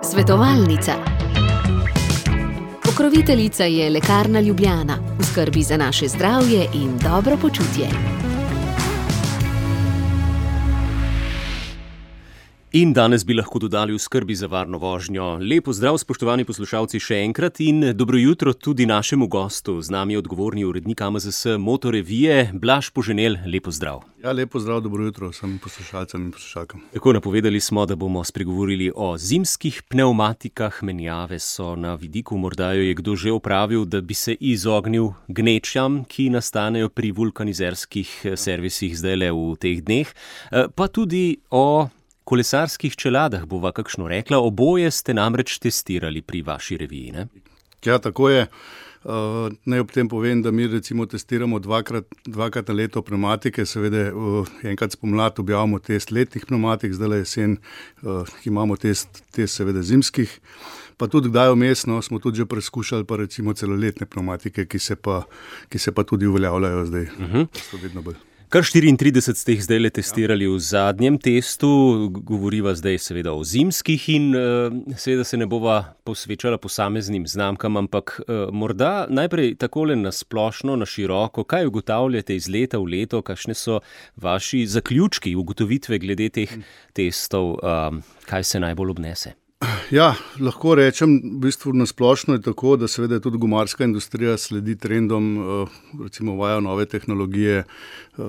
Svetovalnica. Pokroviteljica je Lekarna Ljubljana, v skrbi za naše zdravje in dobro počutje. In danes bi lahko dodali v skrbi za varno vožnjo. Lep pozdrav, spoštovani poslušalci, še enkrat in dobro jutro tudi našemu gostu. Z nami je odgovorni urednik AMZS Motorevije, Blaž Poženel. Lep pozdrav. Ja, lep pozdrav, dobro jutro vsem poslušalcem in poslušalkam. Tako, napovedali smo, da bomo spregovorili o zimskih pnevmatikah. Menjave so na vidiku, morda jo je kdo že opravil, da bi se izognil gnečam, ki nastanejo pri vulkanizerskih servisih zdajle v teh dneh. Pa tudi o kolesarskih čeladah bova kakšno rekla. Oboje ste namreč testirali pri vaši reviji, ne? Ja, tako je. Naj ob tem povem, da mi recimo testiramo dvakrat na leto pnevmatike, seveda enkrat spomlad objavimo test letnih pnevmatik, zdaj jesen imamo test seveda zimskih, pa tudi kdaj vmes, no, smo tudi že preizkušali pa recimo celoletne pnevmatike, ki se pa tudi uveljavljajo zdaj. So vedno bolj. Kar 34 ste jih zdajle testirali v zadnjem testu, govoriva zdaj seveda o zimskih in seveda se ne bova posvečala posameznim znamkam, ampak morda najprej takole na splošno, na široko, kaj ugotavljate iz leta v leto, kakšne so vaši zaključki, ugotovitve glede teh testov, kaj se najbolj obnese? Ja, lahko rečem, v bistvu na splošno je tako, da seveda tudi gumarska industrija sledi trendom, recimo uvaja nove tehnologije,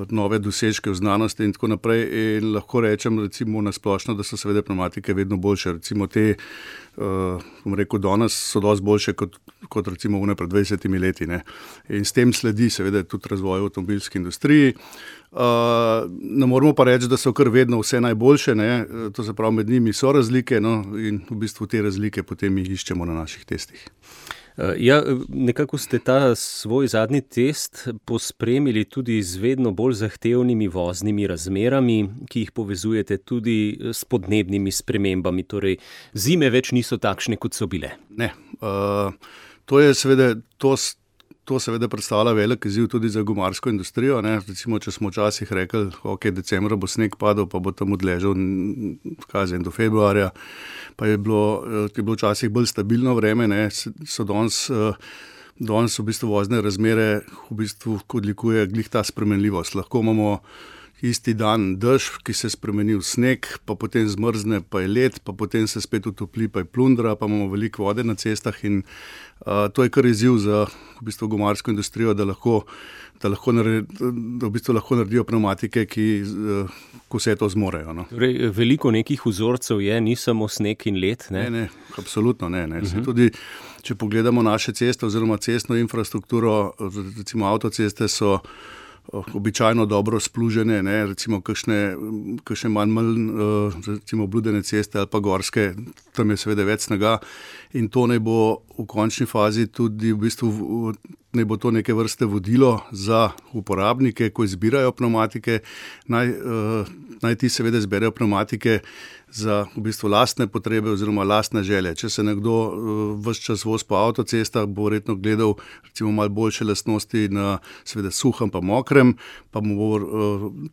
nove dosežke v znanosti in tako naprej, in lahko rečem recimo na splošno, da so seveda pnevmatike vedno boljše. Recimo te, bom rekel, danes so dosti boljše kot recimo pred 20 leti, ne. In s tem sledi seveda tudi razvoj v avtomobilski industriji. Ne moramo pa reči, da so kar vedno vse najboljše, ne. To se pravi, med njimi so razlike, no, in v bistvu te razlike potem jih iščemo na naših testih. Ja, nekako ste ta svoj zadnji test pospremili tudi z vedno bolj zahtevnimi voznimi razmerami, ki jih povezujete tudi s podnebnimi spremembami, torej zime več niso takšne, kot so bile. Ne, to je seveda, to seveda predstavlja velik izziv tudi za gumarsko industrijo, ne. Recimo, če smo včasih rekli, ok, decembra bo sneg padel, pa bo tam odležal do februarja, pa je bilo včasih bolj stabilno vreme, ne. So danes v bistvu vozne razmere v bistvu odlikuje glih ta spremenljivost. Lahko imamo isti dan dež, ki se spremeni v sneg, pa potem zmrzne, pa je led, pa potem se spet utopli, pa je plundra, pa imamo veliko vode na cestah in to je kar izziv za v bistvu gumarsko industrijo, da v bistvu lahko naredijo pnevmatike, ko vse to zmorejo, no. Torej, veliko nekih vzorcev je, ni samo sneg in led, ne? Ne, absolutno ne. Tudi, če pogledamo naše ceste oziroma cestno infrastrukturo, recimo avtoceste so običajno dobro splužene, ne, recimo kakšne manj recimo obludene ceste ali pa gorske, tam je seveda več snega in to naj bo v končni fazi tudi v bistvu naj bo to neke vrste vodilo za uporabnike, ko izbirajo pnevmatike, naj ti seveda izberejo pnevmatike za v bistvu lastne potrebe oziroma lastne želje. Če se nekdo ves čas vozi po avtocestah, bo verjetno gledal recimo malo boljše lastnosti na seveda suhem pa mokrem, pa mu bo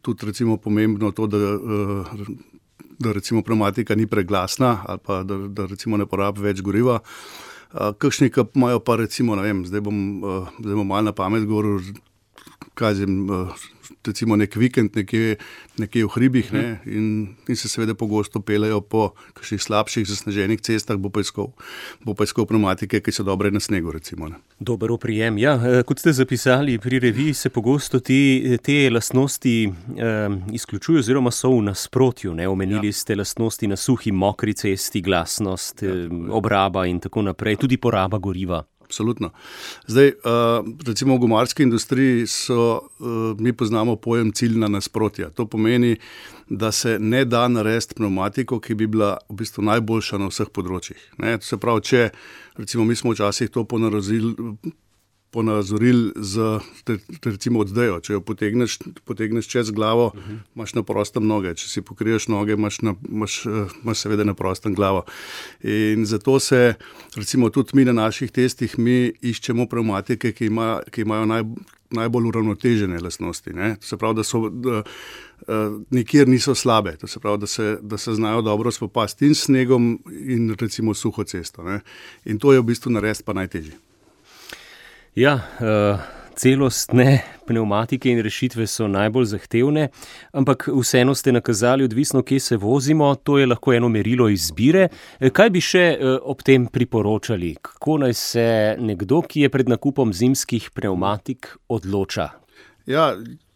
tudi recimo pomembno to, da recimo pnevmatika ni preglasna ali pa da recimo ne porabi več goriva. Kakšni, ki imajo pa recimo, ne vem, zdaj bom malo na pamet govoril, recimo nek vikend nekje v hribih, ne, in se seveda pogosto peljejo po kakšnih slabših zasneženih cestah, bo pa iskal pnevmatike, ki so dobre na snegu, recimo, ne. Dober oprijem. Ja, kot ste zapisali, pri reviji se pogosto te lastnosti izključujo oziroma so v nasprotju, ne. Omenili ste lastnosti na suhi, mokri cesti, glasnost, obraba in tako naprej, tudi poraba goriva. Absolutno. Zdaj, recimo v gumarski industriji mi poznamo pojem ciljna nasprotja. To pomeni, da se ne da narediti pnevmatiko, ki bi bila v bistvu najboljša na vseh področjih, ne. To se pravi, če recimo mi smo včasih to ponazorili z recimo oddejo. Če jo potegneš čez glavo, imaš na prostem noge. Če si pokriješ noge, imaš seveda na prostem glavo. In zato se recimo tudi mi na naših testih iščemo pnevmatike, ki imajo najbolj uravnotežene lastnosti, ne. To se pravi, nikjer niso slabe. To se pravi, da se znajo dobro spopasti in s snegom in recimo suho cesto. Ne. In to je v bistvu narediti pa najtežje. Ja, celostne pnevmatike in rešitve so najbolj zahtevne, ampak vseeno ste nakazali, odvisno, kje se vozimo, to je lahko eno merilo izbire. Kaj bi še ob tem priporočali? Kako naj se nekdo, ki je pred nakupom zimskih pnevmatik, odloča? Ja,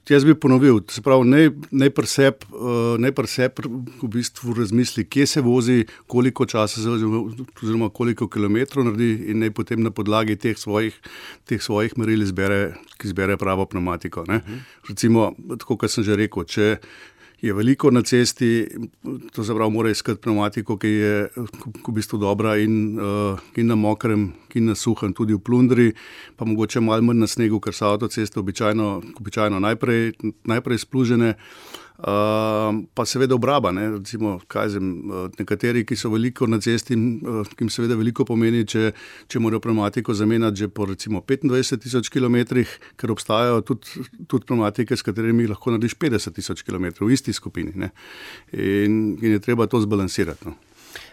jaz bi ponovil, se pravi, naj pri sebi v bistvu razmisli, kje se vozi, koliko časa se vozi, oziroma koliko kilometrov naredi in naj potem na podlagi teh svojih meril izbere pravo pnevmatiko. Ne. Recimo, tako kot sem že rekel, če je veliko na cesti, to se pravi, mora iskati pnevmatiko, ki je v bistvu dobra in na mokrem, in na suhem, tudi v plundri, pa mogoče malo manj na snegu, ker so avtoceste običajno najprej splužene. Pa seveda obraba, ne, recimo, nekateri, ki so veliko na cesti, ki jim seveda veliko pomeni, če morajo pnevmatiko zamenjati že po recimo 25,000 kilometrih, ker obstajajo tudi pnevmatike, s katerimi lahko narediš 50,000 kilometrov v isti skupini, ne, in je treba to zbalansirati, no.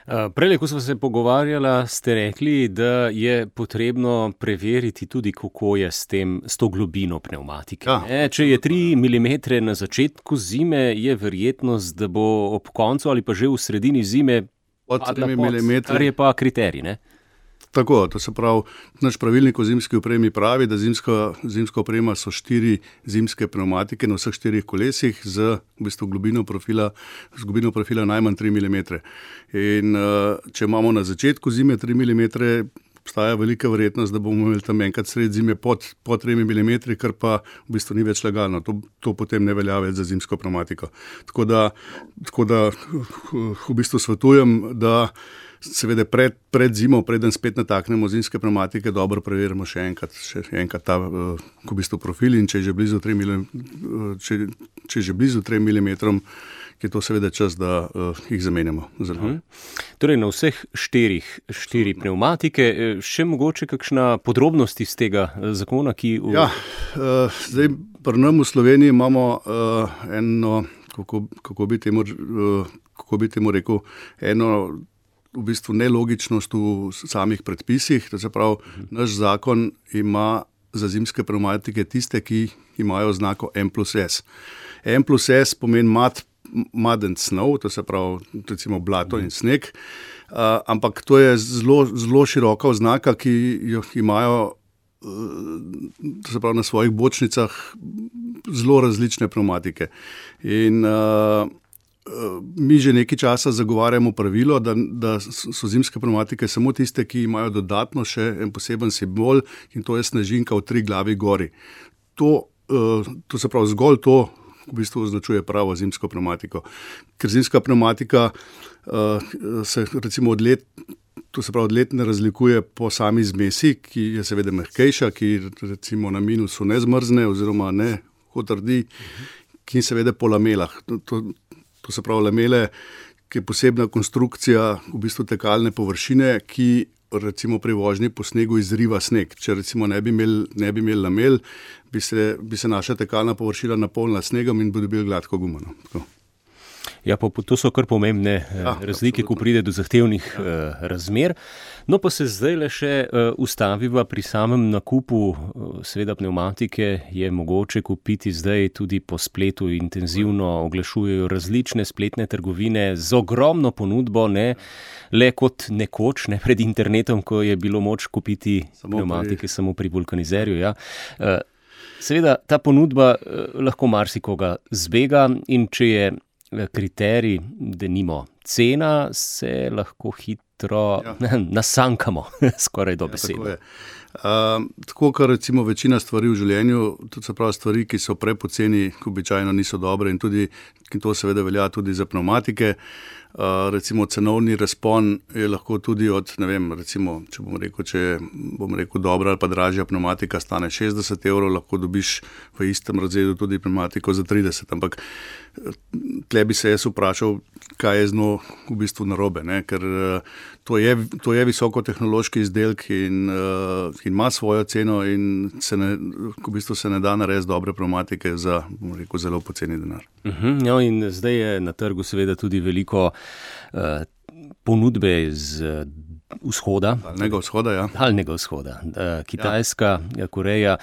Prejle, ko smo se pogovarjala, ste rekli, da je potrebno preveriti tudi, kako je s to globino pnevmatike. Ja. Če je 3 mm na začetku zime, je verjetnost, da bo ob koncu ali pa že v sredini zime padla pod, kar je pa kriterij, ne? Tako, to se pravi, naš pravilnik o zimski opremi pravi, da zimska oprema so 4 zimske pnevmatike na vseh 4 kolesih z v bistvu globino profila najmanj 3 mm. In če imamo na začetku zime 3 mm, obstaja velika verjetnost, da bomo imeli tam enkrat sred zime pod 3 mm, kar pa v bistvu ni več legalno. To potem ne velja več za zimsko pnevmatiko. Tako da v bistvu svetujem, da seveda pred zimo, preden spet nataknemo zimske pnevmatike, dobro preverimo še enkrat ta v bistvu profil in če je že blizu 3 mm, je to seveda čas, da jih zamenjamo. Torej na vseh 4 pnevmatike, še mogoče kakšna podrobnost iz tega zakona, ki... Ja, zdaj pri nam v Sloveniji imamo eno, kako bi temu rekel, eno v bistvu nelogičnost v samih predpisih. To se pravi, naš zakon ima za zimske pnevmatike tiste, ki imajo znako M+S. M+S pomeni mud and snow, to se pravi recimo blato in sneg, ampak to je zelo široka oznaka, ki jo imajo, to se pravi, na svojih bočnicah zelo različne pnevmatike. In mi že nekaj časa zagovarjamo pravilo, da so zimske pnevmatike samo tiste, ki imajo dodatno še en poseben simbol, in to je snežinka v 3 glavi gori. To se pravi, zgolj to v bistvu označuje pravo zimsko pnevmatiko. Ker zimska pnevmatika se recimo od let ne razlikuje po sami zmesi, ki je seveda mehkejša, ki recimo na minusu ne zmrzne oziroma ne otrdi, ki seveda po lamelah. To se pravi lamele, ki je posebna konstrukcija v bistvu tekalne površine, ki recimo pri vožnji po snegu izriva sneg. Če recimo ne bi imeli lamel, bi se naša tekalna površina napolnila snegom in bi dobili gladko gumo. Ja, pa to so kar pomembne razlike, ko pride do zahtevnih razmer. No, pa se zdaj le še ustaviva pri samem nakupu. Seveda pnevmatike je mogoče kupiti zdaj tudi po spletu, intenzivno oglašujejo različne spletne trgovine z ogromno ponudbo, ne le kot nekoč, ne pred internetom, ko je bilo moč kupiti pnevmatike samo pri vulkanizerju. Ja. Seveda ta ponudba lahko marsikoga zbega in če je kriterij, denimo cena, se lahko hitro nasankamo, skoraj dobesedno. Tako, kar recimo večina stvari v življenju, to se pravi stvari, ki so prepoceni, običajno niso dobre in to seveda velja tudi za pnevmatike. Recimo cenovni razpon je lahko tudi od, ne vem, recimo, če bom rekel dobra ali pa dražja pnevmatika stane 60 €, lahko dobiš v istem razredu tudi pnevmatiko za 30, ampak tle bi se jaz vprašal, kaj je z njo v bistvu narobe, ne? Ker to je visokotehnološki izdelek in ima svojo ceno in v bistvu se ne da narediti dobre pnevmatike za, bom rekel, zelo poceni denar. No, in zdaj je na trgu seveda tudi veliko ponudbe z vzhoda. Daljnega vzhoda. Kitajska, Koreja.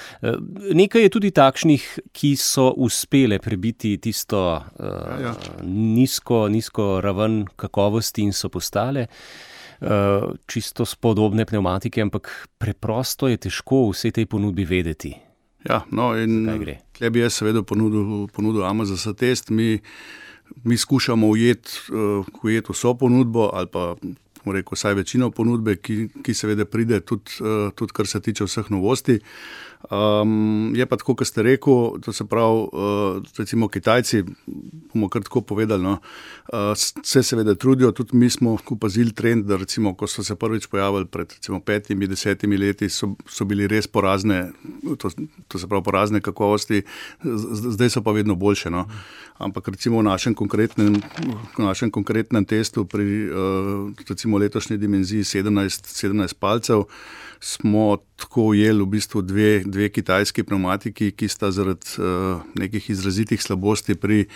Nekaj je tudi takšnih, ki so uspele prebiti tisto nizko raven kakovosti in so postale čisto spodobne pnevmatike, ampak preprosto je težko vse tej ponudbi vedeti. Ja, no in tle bi jaz seveda ponudil AMZS test. Mi skušamo ujeti vso ponudbo ali pa rekel, vsaj večino ponudbe, ki seveda pride tudi kar se tiče vseh novosti. Je pa tako, kot ste rekel, to se pravi, recimo Kitajci, bomo kar tako povedali, no, se seveda trudijo, tudi mi smo opazili trend, da recimo, ko so se prvič pojavili pred recimo 5-10 leti, so bili res porazne, to se pravi porazne kakovosti, zdaj so pa vedno boljše, no. Ampak recimo v našem konkretnem testu pri recimo letošnji dimenziji 17 palcev smo tako ujeli v bistvu dve kitajski pnevmatiki, ki sta zaradi nekih izrazitih slabosti pri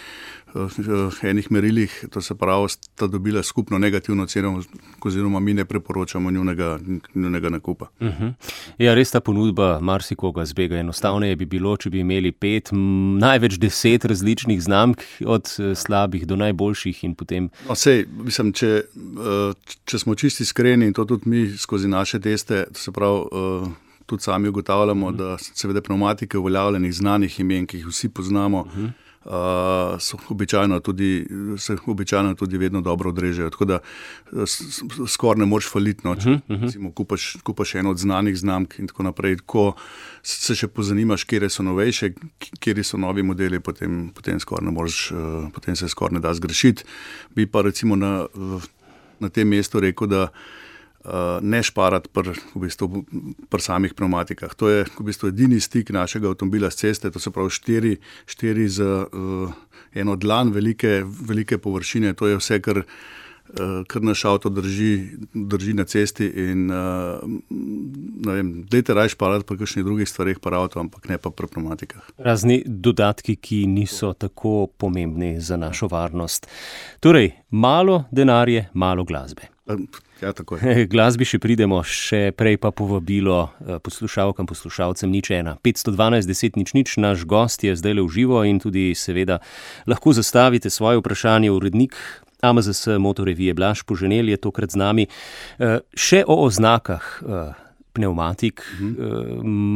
enih merilih, to se pravi, sta dobila skupno negativno ceno, oziroma mi ne preporočamo njunega nakupa. Ja, res ta ponudba marsikoga zbega. Enostavneje bi bilo, če bi imeli 5, največ 10 različnih znamk, od slabih do najboljših in potem... No, sej, mislim, če smo čisti iskreni in to tudi mi skozi naše teste, to se pravi, tudi sami ugotavljamo, da seveda pnevmatike uveljavljenih znanih imen, ki jih vsi poznamo, se običajno tudi vedno dobro odrežejo. Tako da skoraj ne moreš faliti, no, če kupaš eno od znanih znamk in tako naprej. Ko se še pozanimaš, kjer so novejše, kjer so novi modeli, potem se skoraj ne da zgrešiti. Bi pa recimo na tem mestu rekel, da ne šparati pri samih pnevmatikah. To je v bistvu edini stik našega avtomobila s ceste, to se pravi 4 z eno dlan velike površine, to je vse, kar naš avto drži na cesti in ne vem, dajte raje šparati pri kakšnih drugih stvareh pri avto, ampak ne pa pri pnevmatikah. Razni dodatki, ki niso tako pomembni za našo varnost. Torej, malo denarje, malo glasbe. Ja, tako je. Glasbi še pridemo, še prej pa povabilo poslušalkam, poslušalcem 01 512 10 00. Naš gost je zdaj v živo in tudi seveda lahko zastavite svoje vprašanje. Urednik AMZS motorevije Blaž Poženel je tokrat z nami. Še o oznakah pnevmatik.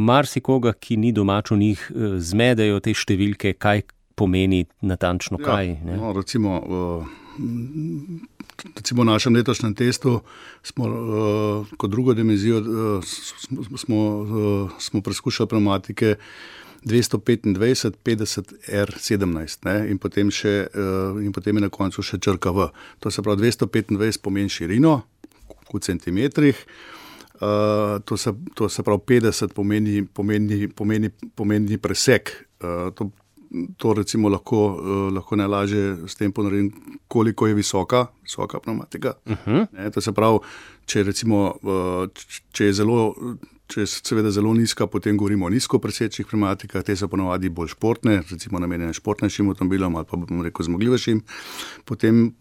Marsikoga, ki ni domač o njih, zmedejo te številke, kaj pomeni natančno kaj. Ja, no, recimo v našem letošnjem testu smo kot drugo dimenzijo smo preskušali pnevmatike 225 50 R17, ne, in potem je na koncu še črka V. To se pravi 225 pomeni širino v centimetrih, to se pravi 50 pomeni presek. To recimo lahko najlažje s tem ponaredim, koliko je visoka pnevmatika. To se pravi, če je seveda zelo nizka, potem govorimo o nizkopresečnih pnevmatikah, te so ponavadi bolj športne, recimo namenjene športnejšim avtomobilom ali pa bomo rekel zmogljivejšim. Potem,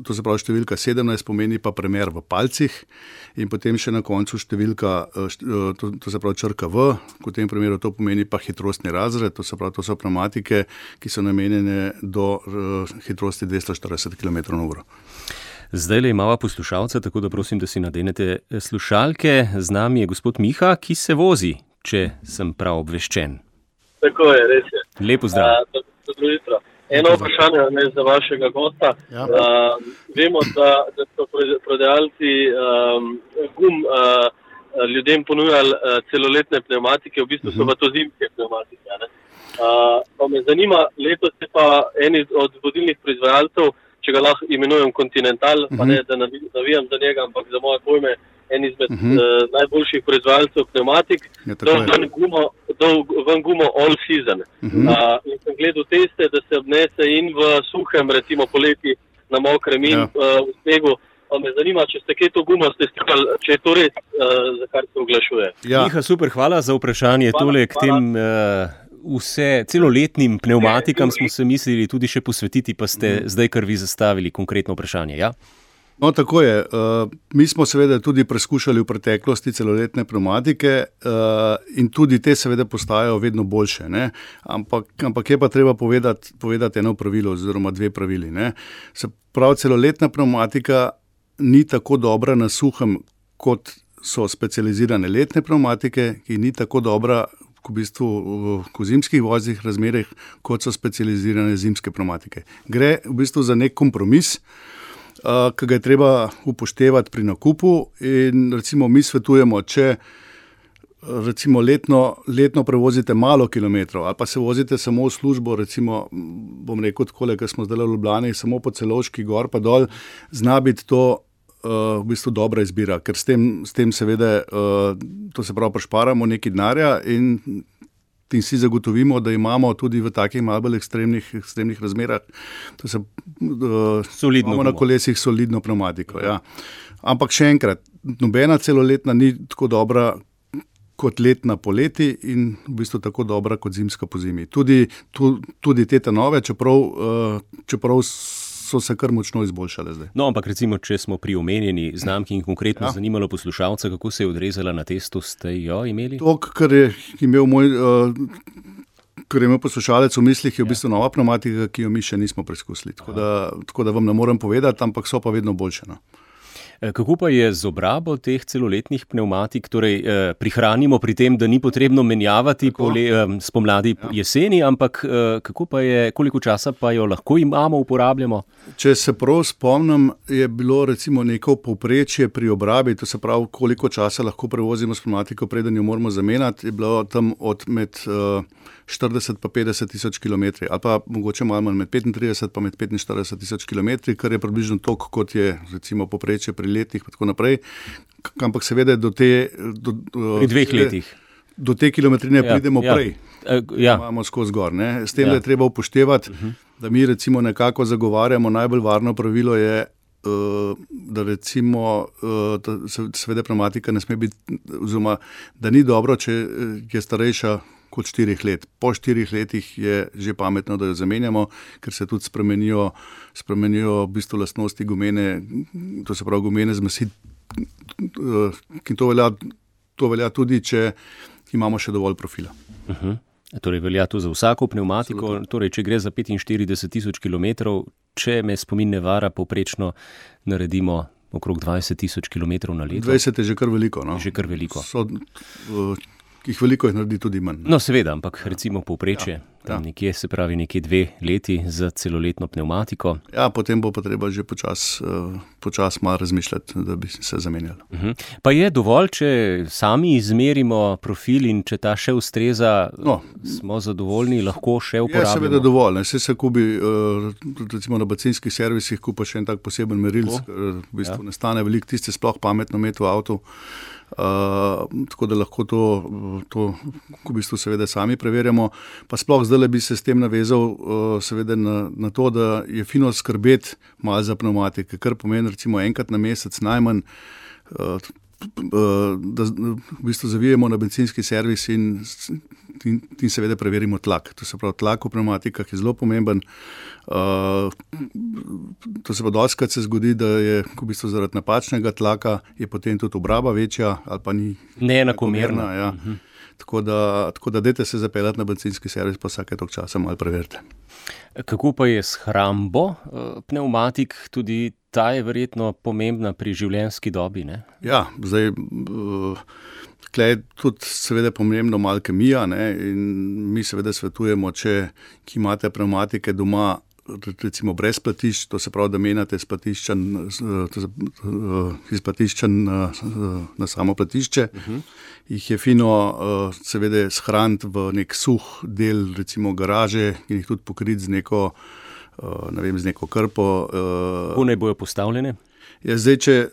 to se pravi številka 17 pomeni pa premer v palcih in potem še na koncu številka, to se pravi črka V, v tem primeru to pomeni pa hitrostni razred, to se pravi, to so pnevmatike, ki so namenjene do hitrosti 240 km/h. Zdaj le imava poslušalca, tako da prosim, da si nadenete slušalke. Z nami je gospod Miha, ki se vozi, če sem prav obveščen. Tako je, res je. Lepo zdrav. Dobro jutro. Eno vprašanje za vašega gosta. Ja. Vemo, da so prodajalci gum ljudem ponujali celoletne pnevmatike, v bistvu so pa to zimske pnevmatike. Pa me zanima, letos je pa eni od vodilnih proizvajalcev če ga lahko imenujem Continental, pa ne, da navijam za njega, ampak za moje pojme en izmed najboljših proizvajalcev pneumatik, ven gumo all season. In sem gledal teste, da se obnese in v suhem, recimo poleti, na mokrem in v snegu. Pa me zanima, če ste kaj to gumo testirali, če je to res, za kar se oglašuje. Miha, super, hvala za vprašanje. Tole k tem celoletnim pneumatikam smo se mislili tudi še posvetiti, pa ste zdaj kar vi zastavili konkretno vprašanje, ja? No, tako je. Mi smo seveda tudi preskušali v preteklosti celoletne pneumatike in tudi te seveda postajajo vedno boljše, ne? Ampak je pa treba povedati eno pravilo oziroma dve pravili, ne? Se pravi, celoletna pneumatika ni tako dobra na suhem, kot so specializirane letne pneumatike, ki ni tako dobra v bistvu v zimskih voznih razmerah, kot so specializirane zimske pneumatike. Gre v bistvu za nek kompromis, ki ga je treba upoštevati pri nakupu in recimo mi svetujemo, če recimo letno prevozite malo kilometrov ali pa se vozite samo v službo, recimo bom rekel takole, ker smo zdaj v Ljubljani, samo po Celovški gor pa dol, zna biti to v bistvu dobra izbira, ker s tem seveda, to se pravi, prišparamo nekaj denarja in si zagotovimo, da imamo tudi v takih malo bolj ekstremnih razmerah, imamo na kolesih solidno pneumatiko. Ja. Ampak še enkrat, nobena celoletna ni tako dobra kot letna poleti in v bistvu tako dobra kot zimska po zimi. Tudi te nove, čeprav so se kar močno izboljšale zdaj. No, ampak recimo, če smo pri omenjeni znamki in konkretno zanimalo poslušalca, kako se je odrezala na testu, ste jo imeli? To, kar je imel poslušalec v mislih, je v bistvu nova pneumatika, ki jo mi še nismo preizkusili. Tako da vam ne morem povedati, ampak so pa vedno boljše. No. Kako pa je z obrabo teh celoletnih pneumatik? Torej, prihranimo pri tem, da ni potrebno menjavati spomladi jeseni, ampak koliko časa pa jo lahko uporabljamo? Če se prav spomnim, je bilo recimo neko povprečje pri obrabi, to se pravi, koliko časa lahko prevozimo s pneumatiko, preden jo moramo zamenjati, je bilo tam med 40 pa 50 tisoč kilometri, ali pa mogoče malo manj, med 35 pa med 45 tisoč kilometri, kar je približno toliko, kot je recimo povprečje pri letih in tako naprej, ampak seveda pri 2 letih. Do te kilometrine pridemo prej, imamo skozi gor. Ne? S tem je treba upoštevati, da mi recimo nekako zagovarjamo, najbolj varno pravilo je, da recimo seveda pneumatika ne sme biti, oziroma da ni dobro, če je starejša kot 4 let. Po 4 letih je že pametno, da jo zamenjamo, ker se tudi spremenijo v bistvu lastnosti gumene, to se pravi gumene zmesi, ki to velja tudi, če imamo še dovolj profila. Torej velja to za vsako pneumatiko, torej če gre za 45 tisoč kilometrov, če me spomin ne vara, povprečno naredimo okrog 20 tisoč kilometrov na leto. 20 je že kar veliko. No? Že kar veliko. Veliko jih naredi tudi manj. No, seveda, ampak recimo povprečje, tam nekje, se pravi nekje 2 leti za celoletno pneumatiko. Ja, potem bo pa treba že počas malo razmišljati, da bi se zamenjali. Pa je dovolj, če sami izmerimo profil in če ta še ustreza, smo zadovoljni, lahko še uporabljamo? Je seveda dovolj. Se kupi, recimo na bencinskih servisih kupa še en tak poseben merilc, ker v bistvu ne stane veliko, tiste sploh pametno imeti v avtu. Tako da lahko to v bistvu seveda sami preverjamo. Pa sploh zdaj bi se s tem navezal seveda na to, da je fino skrbeti malo za pneumatike, kar pomeni recimo enkrat na mesec najmanj, da v bistvu zavijemo na bencinski servis in seveda preverimo tlak. To se pravi, tlak v pneumatikah je zelo pomemben. To se pa dostikrat se zgodi, da je v bistvu zaradi napačnega tlaka je potem tudi obraba večja ali pa ni neenakomerna. Ja. Tako da dajte se zapeljati na bencinski servis, pa vsake toliko časa malo preverite. Kako pa je s hrambo pneumatik? Tudi ta je verjetno pomembna pri življenjski dobi, ne? Ja, zdaj tukaj je tudi seveda pomembno malo kemija, ne? In mi seveda svetujemo, če ki imate pneumatike doma, recimo brez platišč, to se pravi, da menjate iz platišča na samo platišče, jih je fino seveda shraniti v nek suh del, recimo garaže, in jih tudi pokriti z neko ne vem, z neko krpo. Kako naj bojo postavljene? Zdaj, če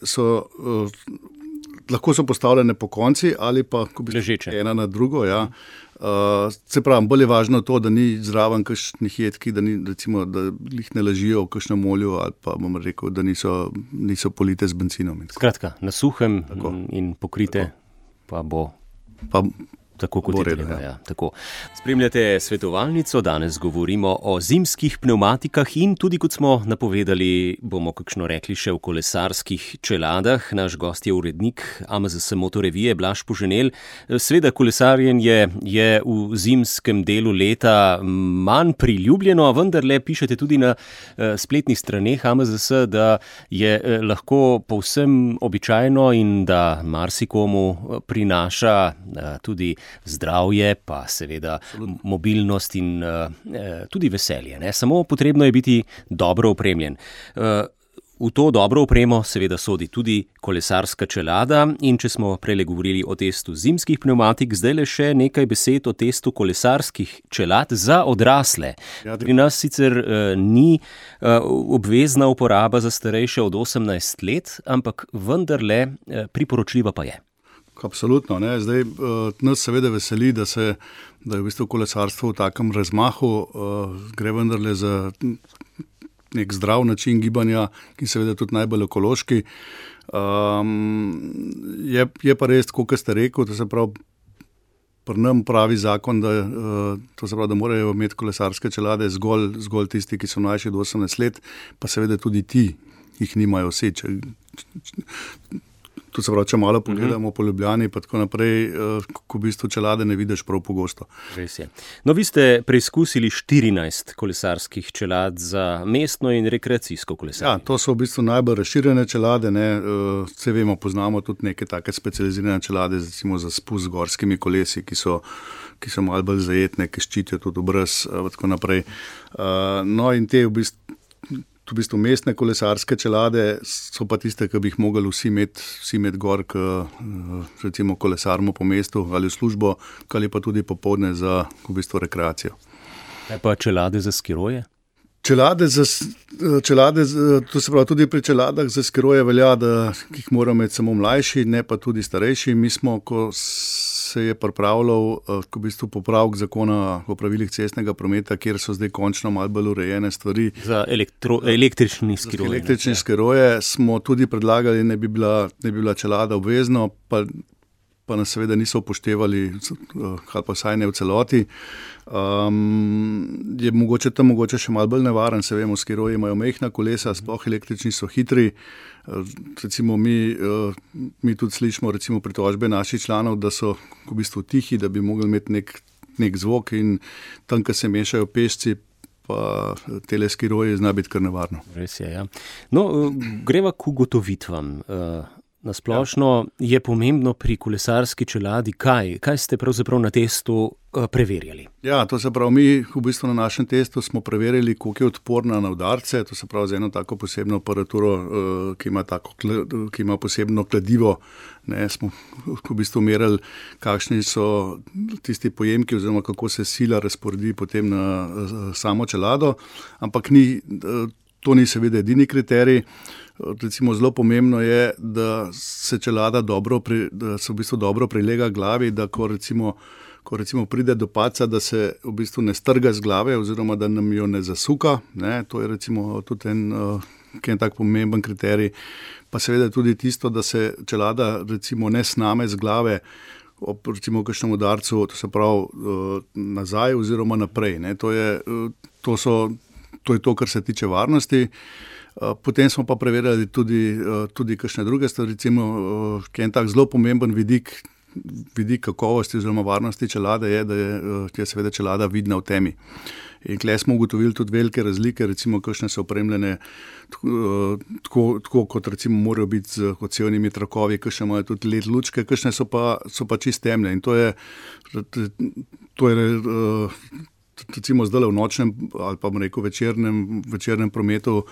lahko so postavljene po konci ali pa ležeče. Ena na drugo. Ja. Se pravi, bolj je važno to, da ni zraven kakšnih jedki, da jih ne ležijo v kakšnem olju ali pa bom rekel, da niso polite z bencinom. Skratka, na suhem in pokrite pa bo... Tako kot je treba. Ja, tako. Spremljate svetovalnico, danes govorimo o zimskih pnevmatikah in tudi, kot smo napovedali, bomo kakšno rekli še o kolesarskih čeladah. Naš gost je urednik AMZS Motorevije Blaž Poženel. Sveda kolesarjenje je v zimskem delu leta manj priljubljeno, vendar le pišete tudi na spletnih straneh AMZS, da je lahko povsem običajno in da marsikomu prinaša tudi zdravje, pa seveda mobilnost in tudi veselje. Ne? Samo potrebno je biti dobro opremljen. V to dobro opremo seveda sodi tudi kolesarska čelada in če smo prej govorili o testu zimskih pnevmatik, zdaj le še nekaj besed o testu kolesarskih čelad za odrasle. Pri nas sicer ni obvezna uporaba za starejše od 18 let, ampak vendarle priporočljiva pa je. Absolutno. Ne. Zdaj, nas seveda veseli, da je v bistvu kolesarstvo v takem razmahu, gre vendarle za nek zdrav način gibanja, ki seveda tudi najbolj ekološki. Je pa res, kot ste rekel, da se pravi, pri nam pravi zakon, da morajo imeti kolesarske čelade zgolj tisti, ki so mlajši od 18 let, pa seveda tudi ti jih nimajo vsi. To se pravi, če malo pogledamo po Ljubljani, pa tako naprej, ko v bistvu čelade ne vidiš prav pogosto. Res je. No, vi ste preizkusili 14 kolesarskih čelad za mestno in rekreacijsko kolesarjenje. Ja, to so v bistvu najbolj razširjene čelade. Vse vemo, poznamo tudi neke take specializirane čelade, recimo za spust z gorskimi kolesi, ki so malo bolj zajetne, ki ščitijo tudi obraz, tako naprej. No, in te v bistvu mestne kolesarske čelade so pa tiste, ki bi jih mogli vsi imeti gor, recimo kolesarimo po mestu ali v službo, ali pa tudi popoldne za v bistvu rekreacijo. Kaj pa čelade za skiroje? Čelade, to se pravi, tudi pri čeladah za skiroje velja, da jih morajo imeti samo mlajši, ne pa tudi starejši. Mi smo, ko se je pripravljal v bistvu popravek zakona o pravilih cestnega prometa, kjer so zdaj končno malo bolj urejene stvari. Za električni skiroje. Električni skiroje smo tudi predlagali, ne bi bila čelada obvezno, pa nas seveda niso upoštevali, ali pa vsaj ne v celoti. Je mogoče še malo bolj nevaren, se vemo, skiroji imajo mehna kolesa, sploh električni so hitri. Recimo mi tudi slišimo recimo pritožbe naših članov, da so v bistvu tihi, da bi mogli imeti nek zvok in tam, ko se mešajo pešci, pa tele skiroji zna biti kar nevarno. Res je, ja. No, greva k ugotovitvam. Nasplošno je pomembno pri kolesarski čeladi kaj ste pravzaprav na testu preverjali? Ja, to se pravi, mi v bistvu na našem testu smo preverjali, koliko je odporna na udarce, to se pravi z eno tako posebno aparaturo, ki ima posebno kladivo, smo v bistvu merili, kakšni so tisti pojemki oziroma kako se sila razporedi potem na samo čelado, ampak to ni seveda edini kriterij. Recimo zelo pomembno je, da se čelada da se v bistvu dobro prilega glavi, da ko recimo pride do padca, da se v bistvu ne strga z glave oziroma da nam jo ne zasuka. To je recimo tudi en tak pomemben kriterij. Pa seveda tudi tisto, da se čelada recimo ne sname z glave ob recimo kakšnem udarcu, to se pravi nazaj oziroma naprej. To je to, kar se tiče varnosti. Potem smo pa preverjali tudi kakšne druge stvari, recimo, ki je en tak zelo pomemben vidik kakovosti oziroma varnosti čelade je, da je seveda čelada vidna v temi. In tukaj smo ugotovili tudi velike razlike, recimo, kakšne so opremljene tako kot recimo morajo biti z odsevnimi trakovi, kakšne imajo tudi LED lučke, kakšne so pa čist temne. In to je recimo zdaj v nočnem ali pa večernem prometu,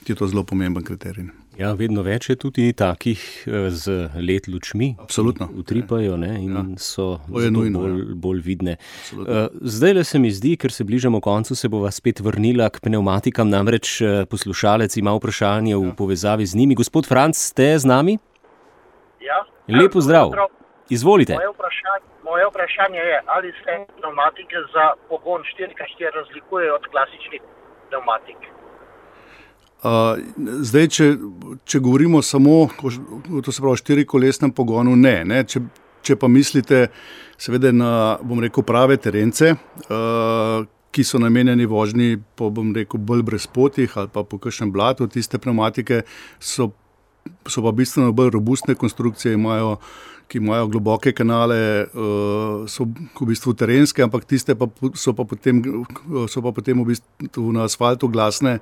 je to zelo pomemben kriterij. Ja, vedno več je tudi takih z LED lučmi. Absolutno. Utripajo, ne, in so nujno, bolj vidne. Zdaj le se mi zdi, ker se bližamo koncu, se bova spet vrnila k pneumatikam, namreč poslušalec ima vprašanje v povezavi z njimi. Gospod Franc, ste z nami? Ja. Lepo zdrav. Izvolite. Moje vprašanje je, ali se pneumatike za pogon 4x4 razlikujejo od klasičnih pneumatik? Zdaj, če govorimo samo, to se pravi, štirikolesnem pogonu, ne. Če pa mislite seveda na, prave terence, ki so namenjeni vožnji po, bolj brezpotih ali pa po kakšnem blatu, tiste pneumatike so pa bistveno bolj robustne konstrukcije, ki imajo globoke kanale, so v bistvu terenske, ampak tiste pa so pa potem v bistvu na asfaltu glasne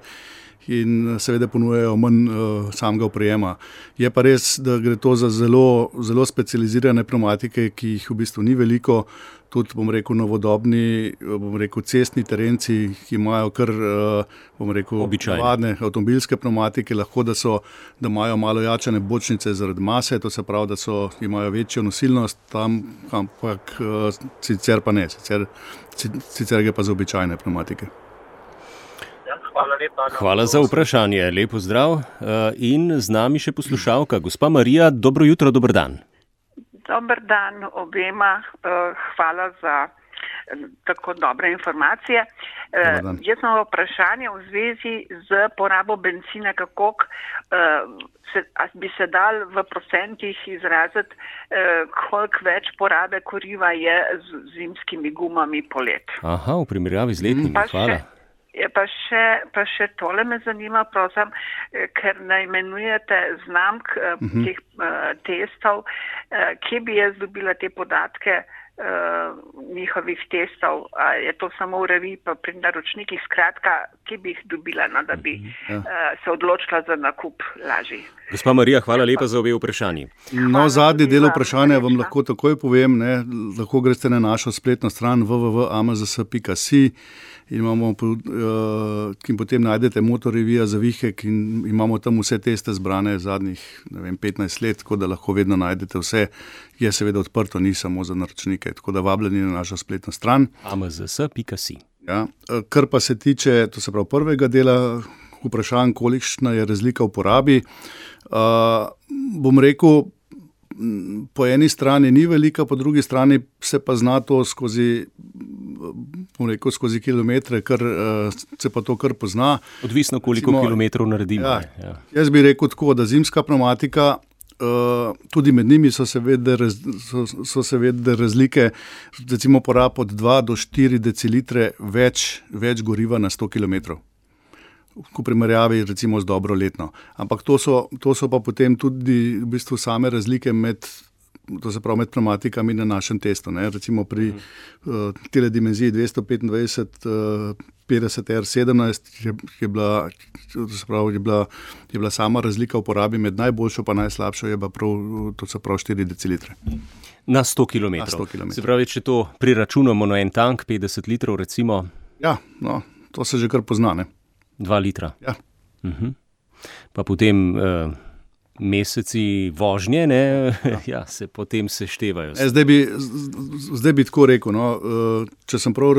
in seveda ponujajo manj samega oprijema. Je pa res, da gre to za zelo, zelo specializirane pneumatike, ki jih v bistvu ni veliko. Tudi, novodobni, cestni terenci, ki imajo kar, navadne avtomobilske pneumatike, lahko da imajo malo jačane bočnice zaradi mase, to se pravi, da imajo večjo nosilnost tam, ampak sicer pa ne, sicer gre pa za običajne pneumatike. Hvala lepa. Hvala za vprašanje, lepo zdrav. In z nami še poslušalka, gospa Marija, dobro jutro, dober dan. Dober dan obema, hvala za tako dobre informacije. Jaz imam vprašanje v zvezi z porabo benzina, kako bi se dal v procentih izraziti, koliko več porabe kuriva je z zimskimi gumami polet. Aha, v primerjavi z letnimi, hvala. Pa še tole me zanima, prosim, ker naimenujete znamk teh testov, kje bi jaz dobila te podatke njihovih testov, je to samo v reviji pa pri naročnikih, skratka, kje bi jih dobila, da bi se odločila za nakup lažji. Gospa Marija, hvala lepa za obe vprašanji. Zadnji del vprašanja vam lahko takoj povem, lahko greste na našo spletno stran www.amazs.si in potem najdete motorevija za vihek in imamo tam vse teste zbrane zadnjih 15 let, tako da lahko vedno najdete vse. Je seveda odprto, ni samo za naročnike, tako da vabljeni na našo spletno stran. amazs.si. Ja, kar pa se tiče, to se pravi prvega dela vprašanj, kolikšna je razlika v porabi, bom rekel, po eni strani ni velika, po drugi strani se pa zna to skozi kilometre, se pa to kar pozna. Odvisno, koliko kilometrov naredimo. Ja. Jaz bi rekel tako, da zimska pneumatika, tudi med njimi so se vedle razlike, recimo porab od 2 do 4 decilitre več goriva na 100 kilometrov. V primerjavi recimo z dobro letno. Ampak to so pa potem tudi v bistvu same razlike med pneumatikami na našem testu. Recimo pri tele dimenziji 225 50 R17 je bila sama razlika v porabi med najboljšo pa najslabšo je pa to se pravi 4 decilitre. Na 100 kilometrov. Se pravi, če to priračunamo na en tank, 50 litrov recimo? Ja, to se že kar pozna, ne? 2 litra. Ja. Pa potem meseci vožnje, se potem seštevajo. Zdaj bi tako rekel, če sem prav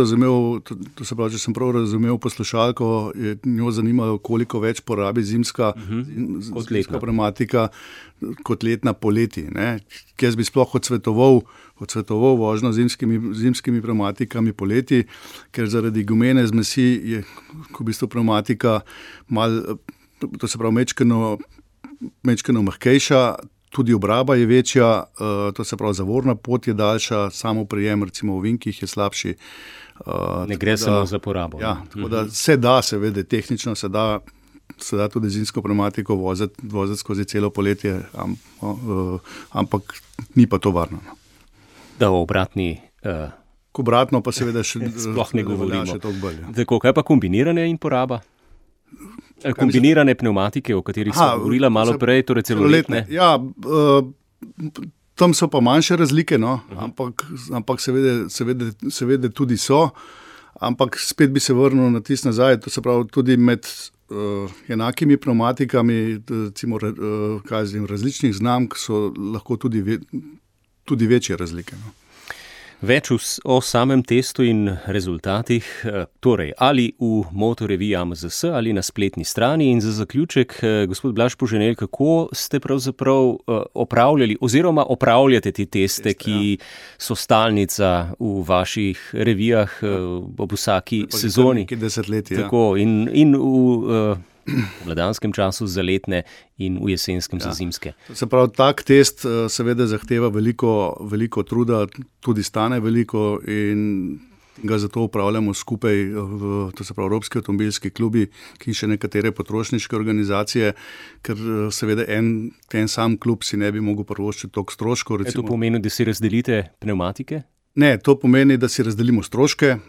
razumel poslušalko, je njo zanimalo, koliko več porabi zimska pneumatika kot letna poleti. Jaz bi sploh odsvetoval vožnjo zimskimi pneumatikami poleti, ker zaradi gumene zmesi je v bistvu pneumatika malo, to se pravi mečkeno mehkejša, tudi obraba je večja, to se pravi zavorna pot je daljša, samo prijem recimo v vinkih je slabši. Ne gre samo za porabo. Ja, tako da se da, seveda, tehnično se da tudi zimsko pneumatiko voziti skozi celo poletje, ampak ni pa to varno. Da v obratni... Obratno pa seveda še sploh ne govorimo. Še toliko bolj. Tako, kaj pa kombiniranje in poraba? Kombinirane pneumatike, o katerih smo govorila malo prej, torej celoletne. Ja, tam so pa manjše razlike, ampak seveda tudi so. Ampak spet bi se vrnil na tisto nazaj, to se pravi tudi med enakimi pneumatikami, recimo, različnih znamk so lahko tudi večje razlike. No. Več o samem testu in rezultatih, torej ali v motoreviji AMZS ali na spletni strani. In za zaključek, gospod Blaž Poženelj, kako ste pravzaprav opravljali oziroma opravljate te teste, ki so stalnica v vaših revijah ob vsaki sezoni? Tako, in v vladanskem času za letne in v jesenskem za zimske. Se pravi, tak test seveda zahteva veliko truda, tudi stane veliko in ga zato upravljamo skupaj, to se pravi Evropski avtomobilski klubi, ki še nekatere potrošniške organizacije, ker seveda en sam klub si ne bi mogel privoščiti toliko stroškov. To pomeni, da si razdelite pneumatike? Ne, to pomeni, da si razdelimo stroške.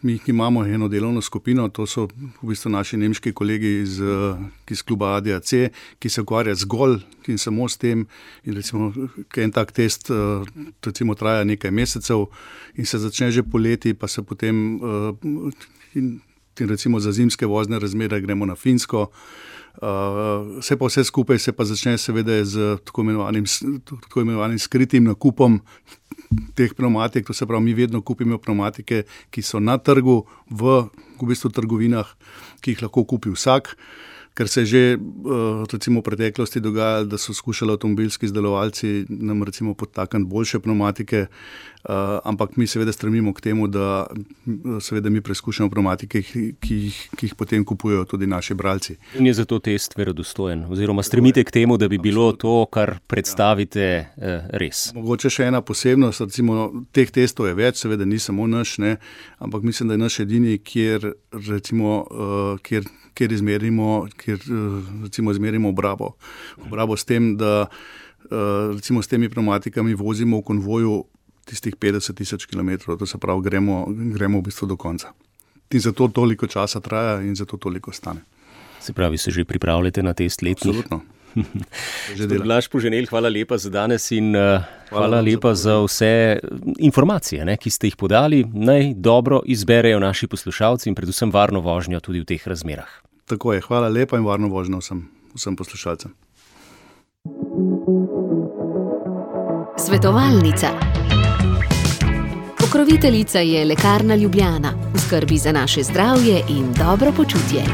Mi imamo eno delovno skupino, to so v bistvu naši nemški kolegi iz kluba ADAC, ki se ukvarja zgolj in samo s tem. In recimo, en tak test recimo traja nekaj mesecev in se začne že poleti, pa se potem recimo za zimske vozne razmere gremo na Finsko. Vse skupaj se pa začne seveda z tako imenovanim skritim nakupom teh pneumatik. To se pravi, mi vedno kupimo pneumatike, ki so na trgu, v bistvu trgovinah, ki jih lahko kupi vsak. Ker se je že recimo v preteklosti dogajalo, da so skušali avtomobilski izdelovalci nam recimo podtakniti boljše pneumatike, ampak mi seveda stremimo k temu, da seveda mi preizkušamo pneumatike, ki jih potem kupujejo tudi naši bralci. In je zato test verodostojen, oziroma stremite k temu, da bi bilo to, kar predstavite, res. Mogoče še ena posebnost, recimo teh testov je več, seveda ni samo naš, ne, ampak mislim, da je naš edini, kjer izmerimo obrabo s tem, da recimo s temi pneumatikami vozimo v konvoju tistih 50,000 kilometrov, to se pravi, gremo v bistvu do konca. In zato toliko časa traja in zato toliko stane. Se pravi, se že pripravljate na test letnih? Absolutno. Blaž Poženelj, hvala lepa za danes in hvala lepa za vse informacije, ki ste jih podali. Naj dobro izberejo naši poslušalci in predvsem varno vožnjo tudi v teh razmerah. Tako je, hvala lepa in varno vožnjo vsem poslušalcem. Svetovalnica. Pokroviteljica je Lekarna Ljubljana, v skrbi za naše zdravje in dobro počutje.